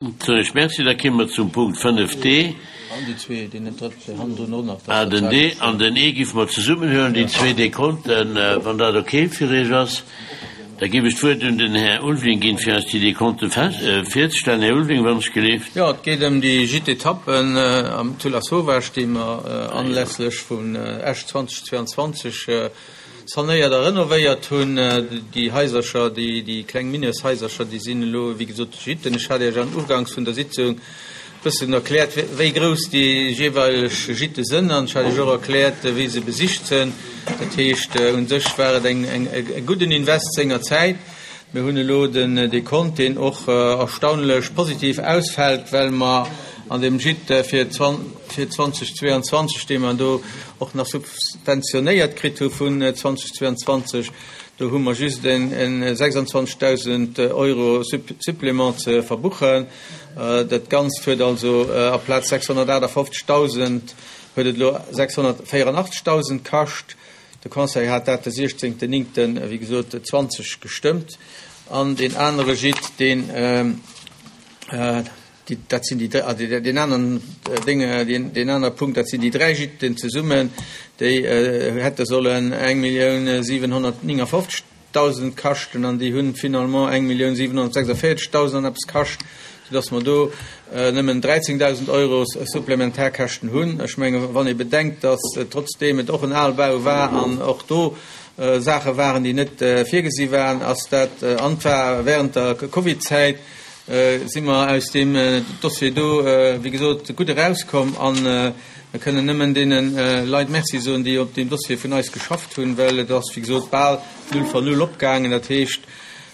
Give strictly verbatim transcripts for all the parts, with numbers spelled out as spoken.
Soen ech Merci. Da kéime mer zum Punkt fënnef D. An déi zwee, deen drëtte hannendrun och nach. Ah, den D an den E géife mer zesummen huelen, déi zwee Dekonten, wann dat okay fir Iech ass. Da géif ech d'Wuert un den Här Ulveling ginn, fir eis déi Dekonte virzestellen. Här Ulveling, wann ech geleeft. Jo, et geet ëm déi Gîte-Etappen am zu Lasauvage, déi mer anlässlech vun Esch zweitausendzweiundzwanzeg sanéiert a renovéiert hunn. Déi Haisercher, déi, déi kleng Miniershaisercher, déi sinn elo, wéi gesot, Gîten. Ech hat Iech am Uganks vun der Sitzung e bëssen erkläert, wéi grouss déi jeeweileg Gîte sënn an ech hat Iech och erkläert, wéi se besicht sënn. Dat heescht, u sech war et eng, eng, e gudden Invest sengerzäit. Mir hunn elo den Dekont, deen och erstaunlech positiv ausfält, well mer an deem Gîte fir zweitausendzweiundzwanzeg, dee mer do och nach subventionéiert kritt hu vun zweitausendzweiundzwanzeg, do hu mer just en sechsundzwanzigtausend Euro Supplément ze verbuchen. Dat Ganzt huet also aplaz sechshunnertachtundfünfzigtausend huet et elo sechshunnertvierundachtzigtausend kascht. De Conseil hat dat de siechzehnten neunten, wéi gesot, zwanzig gestëmmt. An den anere Gîte, den, äh, die, dat sinn déi, ah, die, den anderen Dinge, den, den anderen Punkt, dat sinn déi dräi Gîten zesummen, déi, äh, hätte sollen eng Millioun siewenhunnertneunundfünfzigtausend kaschten an déi hunn finalement eng Millioun siewenhunnertsechsundvierzigtausend an eppes kascht, sodass mer do, äh, nëmmen dräizehntausend Euro Supplementarkäschten hunn. Ech menge, wann ee bedenkt, dass, äh, trotzdem et och en Aalbau war an och do, äh, Sache waren, déi net, äh, virgesi waren, ass dat, äh, an zwar während der Covid-Zäit, äh, si mer aus dem, äh, Dossier do, äh, wéi gesot, gutt erauskomm an, äh, mir kënnen nëmmen deenen, äh, Leit Merci soen, déi op dem Dossier vun eis geschafft hunn, well et ass, wéi gesot, bal null von null opgaangen. Dat heescht,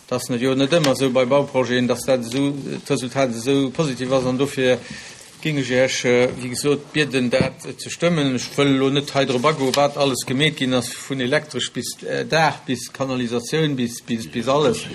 das net jo net ëmmer sou bei Bauprojeten, dass dat sou d'Resultat sou positiv ass an dofir géing ech Iech, wéi gesot, bieden, dat ze stëmmen. Ech wëll elo net hei drop agoen, wat alles gemeet ginn ass, vun elektresch bis Daach, bis Kanalisatioun, bis, bis, bis alles.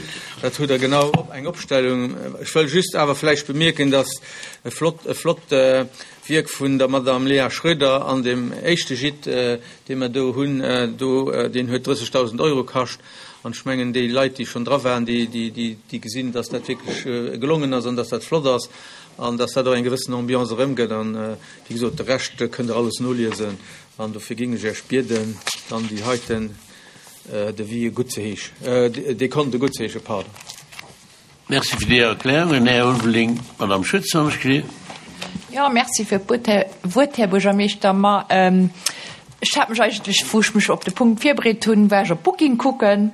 Dat hutt der genau op eng Opstellung. Ech wëll just awer vläicht bemierken, dass e flott, e flott Wierk vun der Madame Léa Schröder an dem éischte Gîte, dee mer do hunn, do, deen huet drëssigtausend Euro kascht. An ech mengen, déi Leit, déi schonn dra waren, déi, déi, déi, déi gesinn, dass dat wierklech, äh, gelongen ass an dass dat flott ass an dass dat och eng gewëssen Ambiance erëmgëtt. An, äh, wéi gesot, de Rescht kënnt der alles noliesen. An dofir géing ech Iech bieden, dann déi heiten, äh, Devis gutt ze heeschen, äh, Dekonte gutt ze heeschen, pardon. Merci fir déi Erklärungen, Här Ulveling. Madame Schütz, wann ech geleeft. Ja, merci fir d'Wuert, Här Buergermeeschter. Ma, ähm, ech hat mech eigentlech, wou ech mech op de Punkt virbereet hunn, war ech op Booking kucken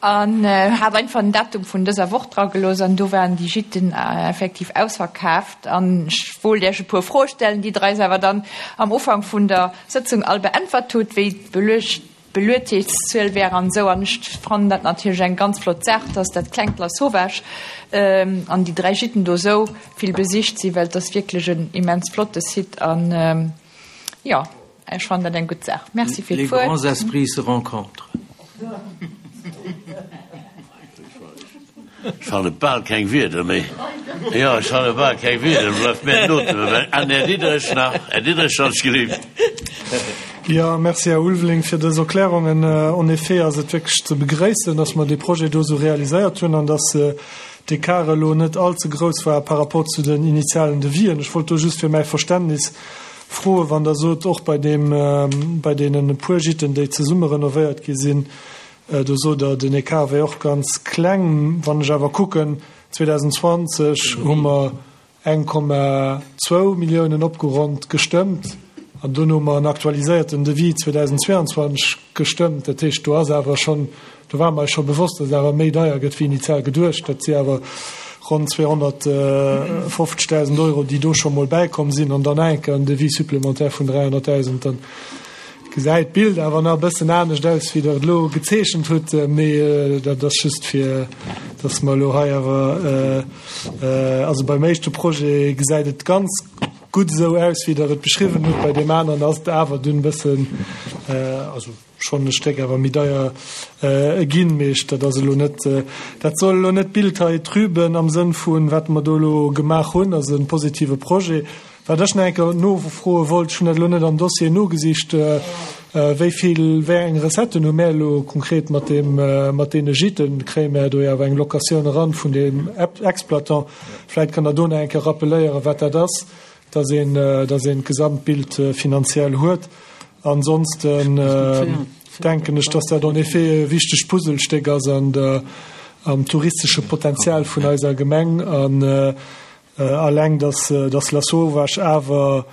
an, äh, hat einfach den Datum vun dëser Woch dra gelooss an do waren déi Gîten, äh, effektiv ausverkaaft. An ech wollt Iech e puer Froe stellen, déi Der eis awer dann am Ufank vun der Sëtzung all beäntwert hutt, wéi d'Beluecht Beluechtheetszuel wär an sou. An ech fannen dat natierlech eng ganz flott Saach, dass dat klengt Lasauvage, ähm, an déi dräi Gîten do sou vill besicht sinn, well dat ass wierklech en immens flotte Site an, ähm, ja, ech fannen dat eng gutt Saach. Merci fir Les d'Wuert. grands esprits se rencontrent. Ech fanne bal keng Wierder méi. Ja, ech fanne bal keng Wierder, bleift mir d'Note. An Här Diderich nach, Här Diderich, wann ech geleeft. Ja, merci Här Ulveling fir dës Erklärungen. En effet ass et wierklech ze begréissen, dass mer dee Projet do sou realiséiert hunn an dass, äh, d'Ecart elo net allze grouss war par rapport zu den initialen Devisen. Ech wollt do just fir mäi Verständnis froen, wann der sot, och bei dem, äh, bei deenen puer Gîten, déi zesumme renovéiert gi sinn, äh, do sot der, den Ecart wär och ganz kleng. Wann ech awer kucken, zweitausendzwanzig hu mer eng Komma zwou Milliounen opgeronnt gestëmmt an dunn hu mer en aktualiséierten Devis zweitausendzweiundzwanzig gestëmmt. Dat heescht, do ass awer schonn, do war mer scho bewosst, dass et awer méi deier gëtt wéi initial geduecht. Dat si awer ronn zweihunnertfünfzigtausend Euro, déi do scho mol bäikomm sinn an dann enke en Devis supplémentaire vun dräihunnerttausend. Dann gesäit d'Bild awer nach e bëssen anescht aus, wéi der et elo gezeechent hutt, mee, äh, dat ass just fir, dass mer elo hei awer, äh, äh, also beim éischte Projet gesäit et ganz gutt esou aus, wéi der et beschriwwen hutt, bei deem aneren ass et awer dunn e bëssen, äh, also schonn e Stéck awer méi deier, äh, ginn, mee ech, dat ass elo net, äh, dat soll elo net d'Bild hei trüben am Sënn vun, wat mer do elo gemaach hunn, also en positive Projet. Wat ech nach eng Kéier nofroe wollt, ech hunn dat elo net am Dossier nogesicht, äh, Wéi vill, wéi eng Recetten hu mär elo konkret mat deem, mat deene Gîten? Kréie mär do jo awer eng Locatioun eran vun deem Exploitant? Vläicht kënnt Der do nach eng Kéier rappeléieren, wat dat ass, dass een, dass een d'Gesamtbild finanziell huet. Ansonsten denken ech, dass dat en effet e wichtegt Puzzlestéck ass an der, am touristesche Potenzial vun eiser Gemeng. An alleng, dass, dass Lasauvage awer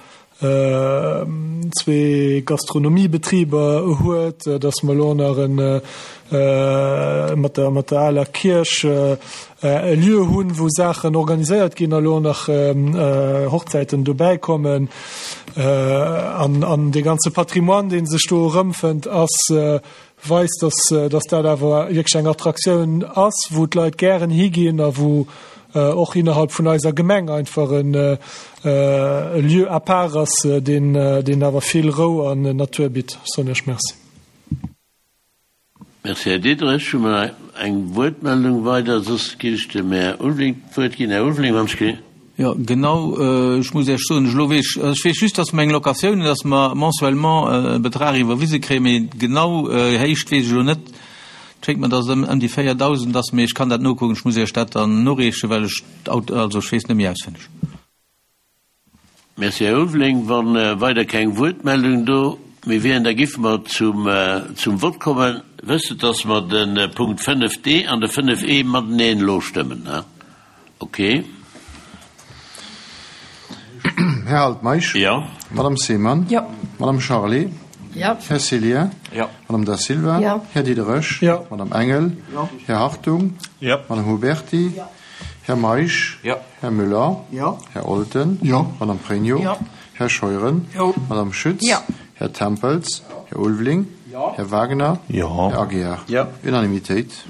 zwee Gastronomiebetriber huet, dass mer elo nach en mat der mat der aler Kierch e Lieu hunn, wou Saachen organiséiert ginn a lo nach Hochzäiten dobäi kommen an an dee ganze Patrimoine, dee sech do erëmfënnt, ass weist, dass dass dat awer wierklech eng Attraktioun ass, wou d'Leit gären higinn a wou och innerhalb vun eiser Gemeng einfach en e Lieu à part ass, deen deen awer vill Rou an Natur bitt. Soen ech Merci. Merci, Här Diderich. Hu mer eng Wuertmeldung weider? Soss géif ech dem Här Ulveling d'Wuert ginn. Här Ulveling, wann ech ge. Jo, genau. Ech muss Iech soen, elo weess ech, ech weess just, dass mer eng Locatioun hunn, dass mer mensuellement e Betrag iwwerwise kréien, mee genau Héicht weess ech elo net. Et schéngt mer, dass et ëm ëm déi véierdausend ass, mee ech kann dat nokucken. Ech muss Iech dat dann noreechen, well ech d'Aut, also ech weess net méi auswenneg. Merci, Här Ulveling. Wa weider keng Wuertmeldung do méi wieren, da giffe mer zum, zum Vott kommen. Wësst, dass mer de Punkt fënnef D an de fënnef E mateneen elo stëmmen, he? Okay. Här Altmeisch. Jo. Madame Seemann. Jo. Madame Charlé. Jo. Här Cillien. Jo. Madame Da Silva. Jo. Här Diderich. Jo. Madame Engel. Jo. Här Hartung. Jo. Madame Huberty. Jo. Här Meisch. Jo. Här Müller. Jo. Här Olten. Jo. Madame Pregno. Jo. Här Scheuren. Jo. Madame Schütz. Jo. Här Tempels. Här Ulveling. Jo. Här Wagner. Jo. Här Aguiar. Jo. Unanimitéit.